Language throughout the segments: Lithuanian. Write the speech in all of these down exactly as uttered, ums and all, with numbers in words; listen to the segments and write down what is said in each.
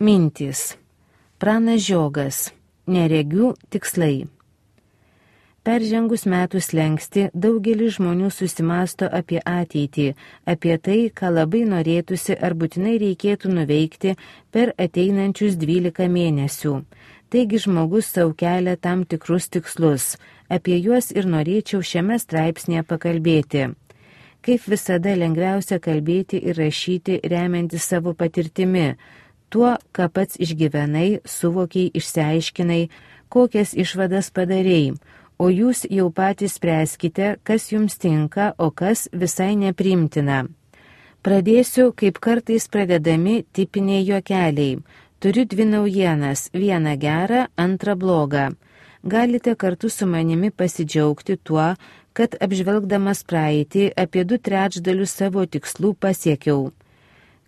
Mintys. Pranas Žiogas. Neregių tikslai. Peržengus metų slengsti, daugelis žmonių susimasto apie ateitį, apie tai, ką labai norėtųsi ar būtinai reikėtų nuveikti per ateinančius dvylika mėnesių. Taigi žmogus sau kelia tam tikrus tikslus, apie juos ir norėčiau šiame straipsnėje pakalbėti. Kaip visada lengviausia kalbėti ir rašyti remiantis savo patirtimi, tuo, ką pats išgyvenai, suvokiai, išsiaiškinai, kokias išvadas padarei, o jūs jau patys spręskite, kas jums tinka, o kas visai nepriimtina. Pradėsiu, kaip kartais pradedami tipiniai juokeliai. Turiu dvi naujienas, vieną gerą, antrą blogą. Galite kartu su manimi pasidžiaugti tuo, kad apžvelgdamas praeitį apie du trečdalius savo tikslų pasiekiau.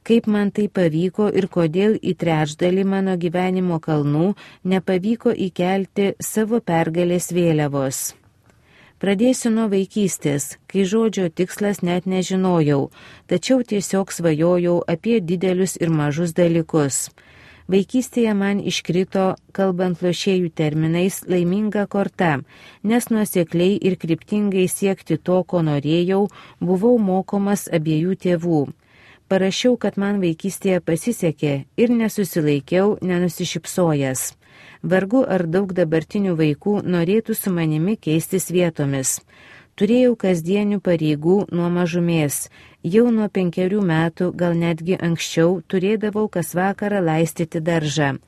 Kaip man tai pavyko ir kodėl į trečdalį mano gyvenimo kalnų nepavyko įkelti savo pergalės vėliavos. Pradėsiu nuo vaikystės, kai žodžio tikslas net nežinojau, tačiau tiesiog svajojau apie didelius ir mažus dalykus. Vaikystėje man iškrito, kalbant lošėjų terminais, laiminga korta, nes nuosekliai ir kryptingai siekti to, ko norėjau, buvau mokomas abiejų tėvų. Parašiau, kad man vaikystėje pasisekė ir nesusilaikiau, nenusišypsojęs. Vargu ar daug dabartinių vaikų norėtų su manimi keistis vietomis. Turėjau kasdienių pareigų nuo mažumės. Jau nuo penkerių metų, gal netgi anksčiau, turėdavau kas vakarą laistyti daržą.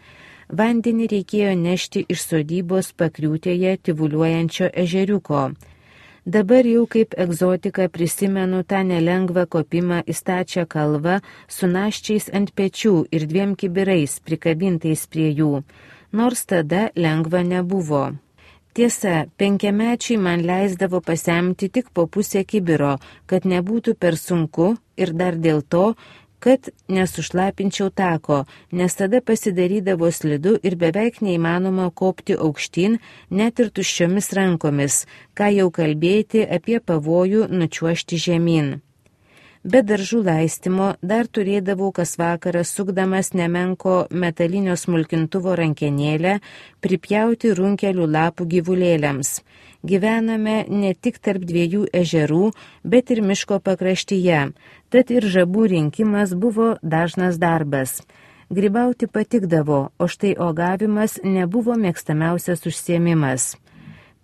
Vandenį reikėjo nešti iš sodybos pakriūtėje tyvuliuojančio ežeriuko. Dabar jau kaip egzotika prisimenu tą nelengvą kopimą į stačią kalvą su naščiais ant pečių ir dviem kibirais prikabintais prie jų, nors tada lengva nebuvo. Tiesa, penkiamečiai man leisdavo pasemti tik po pusę kibiro, kad nebūtų per sunku ir dar dėl to, kad nesušlapinčiau tako, nes tada pasidarydavo slidu ir beveik neįmanoma kopti aukštyn net ir tuščiomis rankomis, ką jau kalbėti apie pavojų nučiuožti žemyn. Be daržų laistimo dar turėdavau kas vakarą sukdamas nemenko metalinio smulkintuvo rankenėlę pripjauti runkelių lapų gyvulėliams. Gyvename ne tik tarp dviejų ežerų, bet ir miško pakraštyje, tad ir žabų rinkimas buvo dažnas darbas. Grybauti patikdavo, o štai uogavimas nebuvo mėgstamiausias užsiėmimas.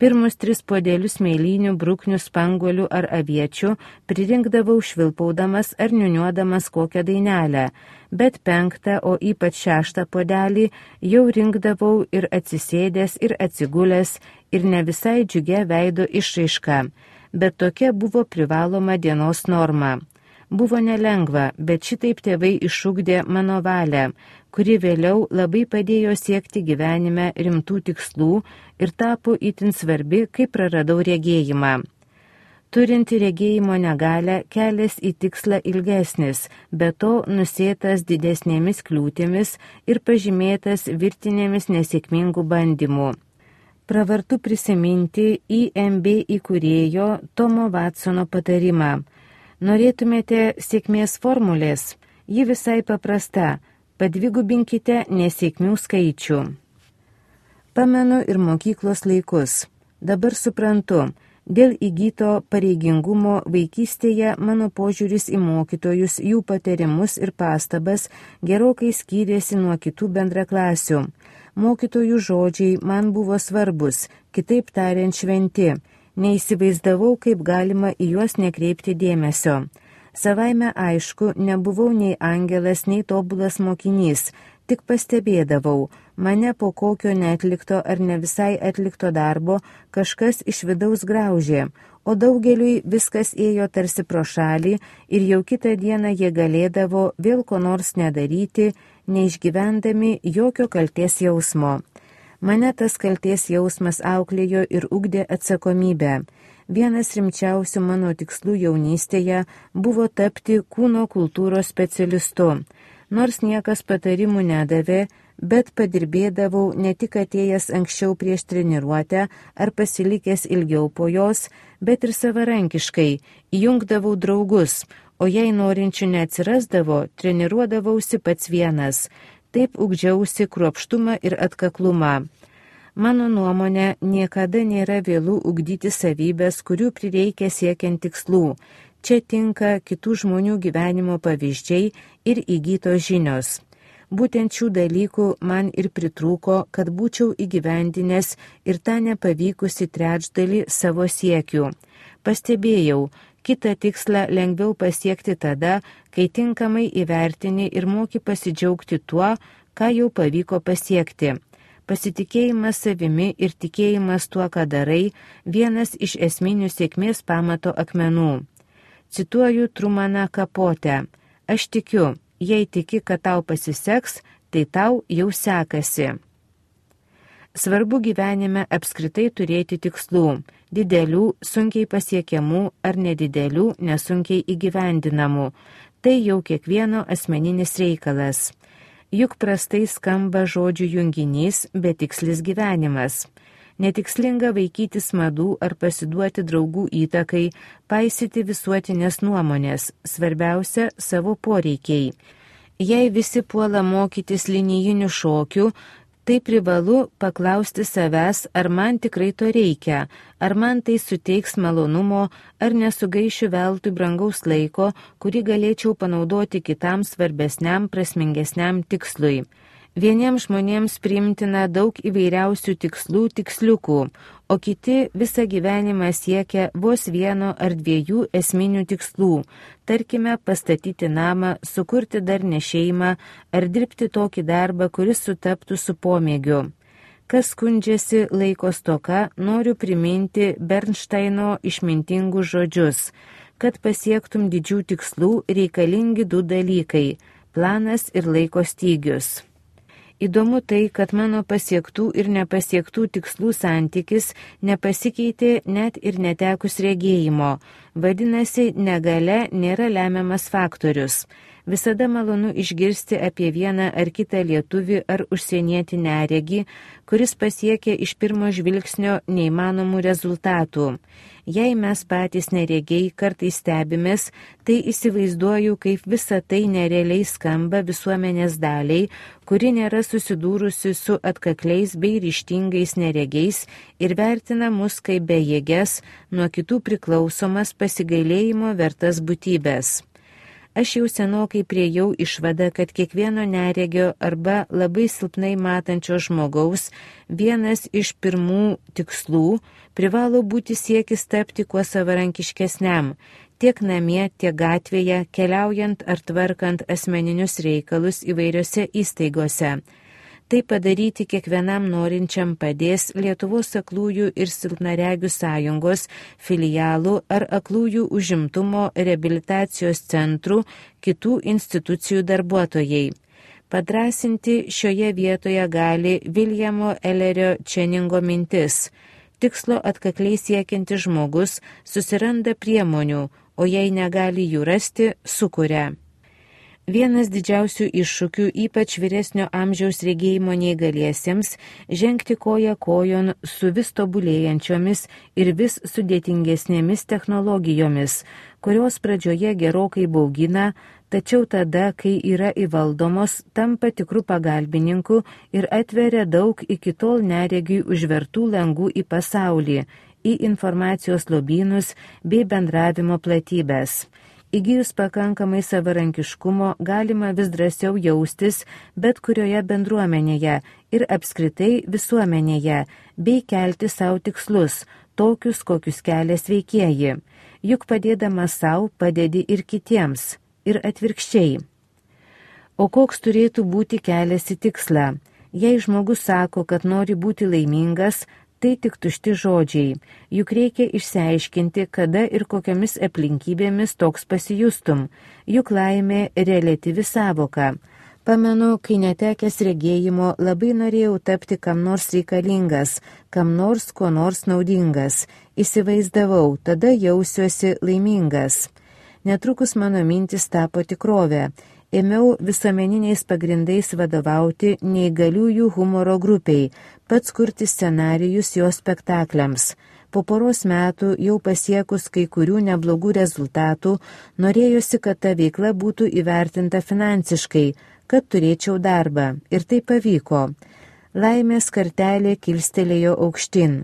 Pirmus tris puodelius mėlynių, bruknių, spanguolių ar aviečių pririnkdavau švilpaudamas ar niuniuodamas kokią dainelę, bet penktą, o ypač šeštą puodelį jau rinkdavau ir atsisėdęs, ir atsigulęs, ir ne visai džiugia veido išraiška, bet tokia buvo privaloma dienos norma. Buvo nelengva, bet šitaip tėvai išugdė mano valią, kuri vėliau labai padėjo siekti gyvenime rimtų tikslų ir tapo itin svarbi, kai praradau regėjimą. Turinti regėjimo negalią, kelias į tikslą ilgesnis, be to nusėtas didesnėmis kliūtimis ir pažymėtas virtinėmis nesėkmingų bandymų. Pravartu prisiminti I M B įkūrėjo Tomo Watsono patarimą. Norėtumėte sėkmės formulės? Ji visai paprasta. Padvigubinkite nesėkmių skaičių. Pamenu ir mokyklos laikus. Dabar suprantu, dėl įgyto pareigingumo vaikystėje mano požiūris į mokytojus, jų patarimus ir pastabas gerokai skyrėsi nuo kitų bendraklasių. Mokytojų žodžiai man buvo svarbus, kitaip tariant šventi. Neįsivaizdavau, kaip galima į juos nekreipti dėmesio. Savaime aišku, nebuvau nei angelas, nei tobulas mokinys, tik pastebėdavau, mane po kokio neatlikto ar ne visai atlikto darbo kažkas iš vidaus graužė, o daugeliui viskas ėjo tarsi pro šalį ir jau kitą dieną jie galėdavo vėl ko nors nedaryti, neišgyvendami jokio kaltės jausmo. Mane tas kaltės jausmas auklėjo ir ugdė atsakomybę. Vienas rimčiausių mano tikslų jaunystėje buvo tapti kūno kultūros specialistu. Nors niekas patarimų nedavė, bet padirbėdavau ne tik atėjęs anksčiau prieš treniruotę ar pasilikęs ilgiau po jos, bet ir savarankiškai, įjungdavau draugus, o jei norinčių neatsirasdavo, treniruodavausi pats vienas. taip ugdžiausi kruopštumą ir atkaklumą. Mano nuomonė, niekada nėra vėlų ugdyti savybės, kurių prireikia siekiant tikslų. Čia tinka kitų žmonių gyvenimo pavyzdžiai ir įgytos žinios. Būtent šių dalykų man ir pritrūko, kad būčiau įgyvendinęs ir tą nepavykusi trečdalį savo siekių. Pastebėjau, kitą tikslą lengviau pasiekti tada, kai tinkamai įvertini ir moki pasidžiaugti tuo, ką jau pavyko pasiekti. Pasitikėjimas savimi ir tikėjimas tuo, ką darai, vienas iš esminių sėkmės pamato akmenų. Cituoju Trumaną Kapotę. Aš tikiu, jei tiki, kad tau pasiseks, tai tau jau sekasi. Svarbu gyvenime apskritai turėti tikslų, didelių, sunkiai pasiekiamų ar nedidelių, nesunkiai įgyvendinamų. Tai jau kiekvieno asmeninis reikalas. Juk prastai skamba žodžių junginys, betikslis gyvenimas. Netikslinga vaikytis madų ar pasiduoti draugų įtakai, paisyti visuotinės nuomonės, svarbiausia savo poreikiai. Jei visi puola mokytis linijinių šokių, tai privalu paklausti savęs, ar man tikrai to reikia, ar man tai suteiks malonumo, ar nesugaišiu veltui brangaus laiko, kurį galėčiau panaudoti kitam svarbesniam, prasmingesniam tikslui. Vieniems žmonėms priimtina daug įvairiausių tikslų tiksliukų, o kiti visą gyvenimą siekia vos vieno ar dviejų esminių tikslų, tarkime pastatyti namą, sukurti darnią šeimą ar dirbti tokį darbą, kuris sutaptų su pomėgiu. Kas skundžiasi laiko stoka, noriu priminti Bernšteino išmintingus žodžius, kad pasiektum didžių tikslų reikalingi du dalykai – planas ir laiko stygius. Įdomu tai, kad mano pasiektų ir nepasiektų tikslų santykis nepasikeitė net ir netekus regėjimo. Vadinasi, negalia nėra lemiamas faktorius. Visada malonu išgirsti apie vieną ar kitą lietuvį ar užsienietį neregį, kuris pasiekė iš pirmo žvilgsnio neįmanomų rezultatų. Jei mes patys neregiai kartais stebimės, tai įsivaizduoju, kaip visa tai nerealiai skamba visuomenės daliai, kuri nėra susidūrusi su atkakliais bei ryžtingais neregiais ir vertina mus kaip bejėges, nuo kitų priklausomas pasigailėjimo vertas būtybės. Aš jau senokai priejau išvadą, kad kiekvieno neregio arba labai silpnai matančio žmogaus vienas iš pirmų tikslų privalo būti siekis tapti kuo savarankiškesniam, tiek namie, tiek gatvėje, keliaujant ar tvarkant asmeninius reikalus įvairiose įstaigose. Tai padaryti kiekvienam norinčiam padės Lietuvos aklųjų ir silpnaregių sąjungos filialų ar aklųjų užimtumo reabilitacijos centrų kitų institucijų darbuotojai. Padrasinti šioje vietoje gali Viljamo Ellerio Čeningo mintis. Tikslo atkakliai siekiantis žmogus susiranda priemonių, o jei negali jų rasti, sukuria. Vienas didžiausių iššūkių, ypač vyresnio amžiaus regėjimo neįgaliesiems, žengti koja kojon su vis tobulėjančiomis ir vis sudėtingesnėmis technologijomis, kurios pradžioje gerokai baugina, tačiau tada, kai yra įvaldomos, tampa tikrų pagalbininkų ir atveria daug iki tol neregiui užvertų langų į pasaulį, į informacijos lobynus bei bendravimo platybės. Įgijus pakankamai savarankiškumo galima vis drąsiau jaustis bet kurioje bendruomenėje ir apskritai visuomenėje, bei kelti savo tikslus, tokius, kokius kelia sveikieji. Juk padėdamas savo padedi ir kitiems, ir atvirkščiai. O koks turėtų būti kelias į tikslą? Jei žmogus sako, kad nori būti laimingas, tai tik tušti žodžiai, juk reikia išsiaiškinti, kada ir kokiamis aplinkybėmis toks pasijustum, juk laimė reliatyvi sąvoka. Pamenu, kai netekęs regėjimo labai norėjau tapti kam nors reikalingas, kam nors ko nors naudingas. Įsivaizdavau, tada jausiuosi laimingas. Netrukus mano mintis tapo tikrovė. Ėmiau visuomeniniais pagrindais vadovauti neįgaliųjų humoro grupiai, pats kurti scenarijus jo spektakliams. Po poros metų, jau pasiekus kai kurių neblogų rezultatų, norėjosi, kad ta veikla būtų įvertinta finansiškai, kad turėčiau darbą. Ir tai pavyko. Laimės kartelė kilstelėjo aukštyn.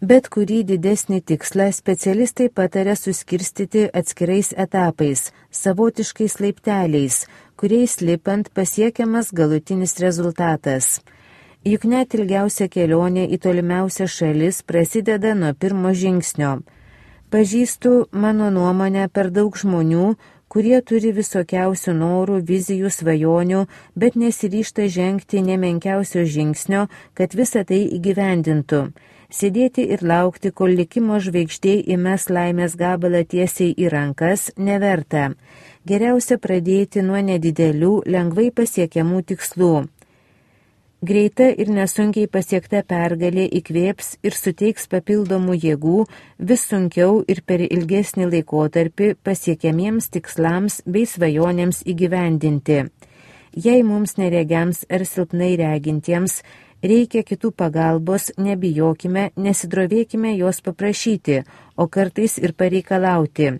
Bet kurį didesnį tikslą specialistai patarė suskirstyti atskirais etapais, savotiškais laipteliais, kuriais lipant pasiekiamas galutinis rezultatas. Juk net ilgiausia kelionė į tolimiausią šalis prasideda nuo pirmo žingsnio. Pažįstu, mano nuomonę, per daug žmonių, kurie turi visokiausių norų, vizijų, svajonių, bet nesiryžta žengti nemenkiausio žingsnio, kad visą tai įgyvendintų. Sėdėti ir laukti, kol likimo žvaigždė įmes laimės gabalą tiesiai į rankas, neverta. Geriausia pradėti nuo nedidelių, lengvai pasiekiamų tikslų. Greita ir nesunkiai pasiekta pergalė įkvėps ir suteiks papildomų jėgų vis sunkiau ir per ilgesnį laikotarpį pasiekiamiems tikslams bei svajonėms įgyvendinti. Jei mums neregiams ar silpnai regintiems reikia kitų pagalbos, nebijokime, nesidrovėkime jos paprašyti, o kartais ir pareikalauti.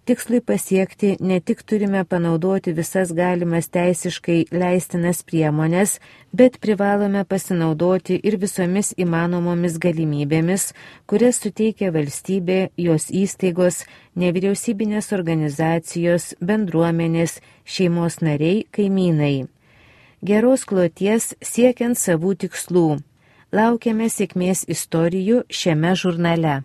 Tikslui pasiekti ne tik turime panaudoti visas galimas teisiškai leistinas priemonės, bet privalome pasinaudoti ir visomis įmanomomis galimybėmis, kurias suteikia valstybė, jos įstaigos, nevyriausybinės organizacijos, bendruomenės, šeimos nariai, kaimynai. Geros kloties siekiant savų tikslų. Laukiame sėkmės istorijų šiame žurnale.